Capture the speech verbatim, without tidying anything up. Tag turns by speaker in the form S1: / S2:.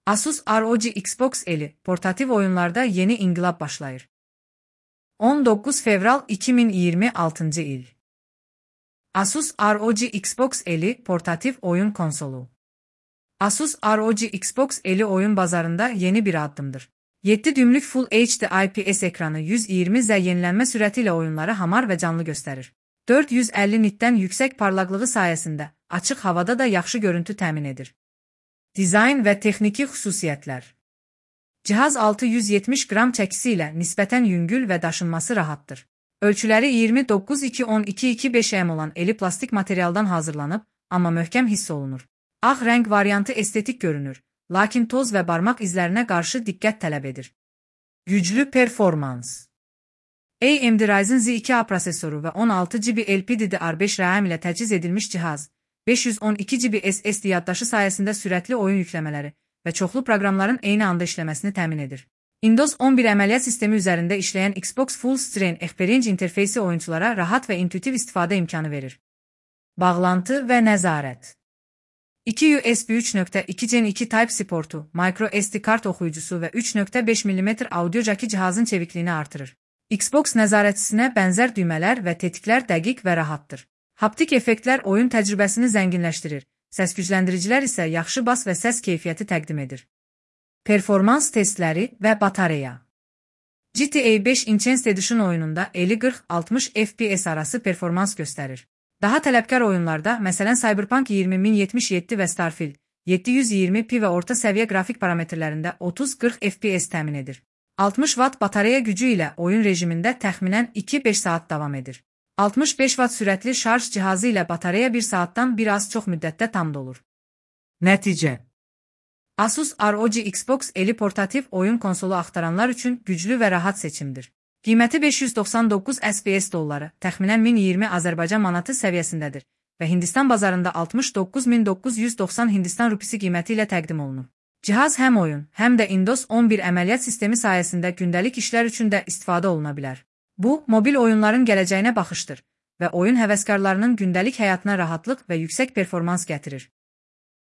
S1: Asus R O G Xbox El'i portatif oyunlarda yeni inqilab başlayır. on dokuz fevral iki min iyirmi altıncı il. Asus R O G Xbox El'i portatif oyun konsolu. Asus R O G Xbox El'i oyun bazarında yeni bir addımdır. yedi düymlük Full H D I P S ekranı yüz yirmi Z yenilenme sürətiyle oyunları hamar ve canlı gösterir. dörd yüz əlli nitdən yüksek parlaqlığı sayesinde açıq havada da yaxşı görüntü təmin edir. Dizayn və texniki xüsusiyyətlər. Cihaz altı yüz yetmiş qram çəkisi ilə nisbətən yüngül və daşınması rahatdır. Ölçüləri iyirmi doqquz iki on iki iki beş M olan eli plastik materialdan hazırlanıb, amma möhkəm hiss olunur. Ağ rəng variantı estetik görünür, lakin toz və barmaq izlərinə qarşı diqqət tələb edir. Güclü performans. A M D Ryzen Z iki A prosesoru və on altı gigabayt L P D D R beş RAM ilə təchiz edilmiş cihaz, beş yüz on iki gigabayt S S D yaddaşı sayəsində sürətli oyun yükləmələri və çoxlu proqramların eyni anda işləməsini təmin edir. Windows on bir əməliyyat sistemi üzərində işləyən Xbox Full Screen Experience interfeysi oyunçulara rahat və intuitiv istifadə imkanı verir. Bağlantı və nəzarət. iki U S B üç nöqtə iki Gen iki Type-C portu, micro S D kart oxuyucusu və üç nöqtə beş millimetr audio jacki cihazın çevikliyini artırır. Xbox nəzarətçisinə bənzər düymələr və tetiklər dəqiq və rahatdır. Haptik effektlər oyun təcrübəsini zənginləşdirir, səs gücləndiricilər isə yaxşı bas və səs keyfiyyəti təqdim edir. Performans testləri və batareya. G T A beş Enhanced Edition oyununda əlli qırx altmış F P S arası performans göstərir. Daha tələbkar oyunlarda, məsələn Cyberpunk iyirmi min yetmiş yeddi və Starfield yeddi yüz iyirmi P və orta səviyyə qrafik parametrlərində otuz qırx F P S təmin edir. altmış watt batareya gücü ilə oyun rejimində təxminən iki beş saat davam edir. altmış beş watt sürətli şarj cihazı ilə batareya bir saatdan bir az çox müddətdə tam dolur. Nəticə. Asus R O G Xbox El'i portativ oyun konsolu axtaranlar üçün güclü və rahat seçimdir. Qiyməti beş yüz doxsan doqquz S B S dolları, təxminən min iyirmi Azərbaycan manatı səviyyəsindədir və Hindistan bazarında altmış doqquz min doqquz yüz doxsan Hindistan rupisi qiyməti ilə təqdim olunur. Cihaz həm oyun, həm də Windows on bir əməliyyat sistemi sayəsində gündəlik işlər üçün də istifadə oluna bilər. Bu, mobil oyunların gələcəyinə baxışdır və oyun həvəskarlarının gündəlik həyatına rahatlıq və yüksək performans gətirir.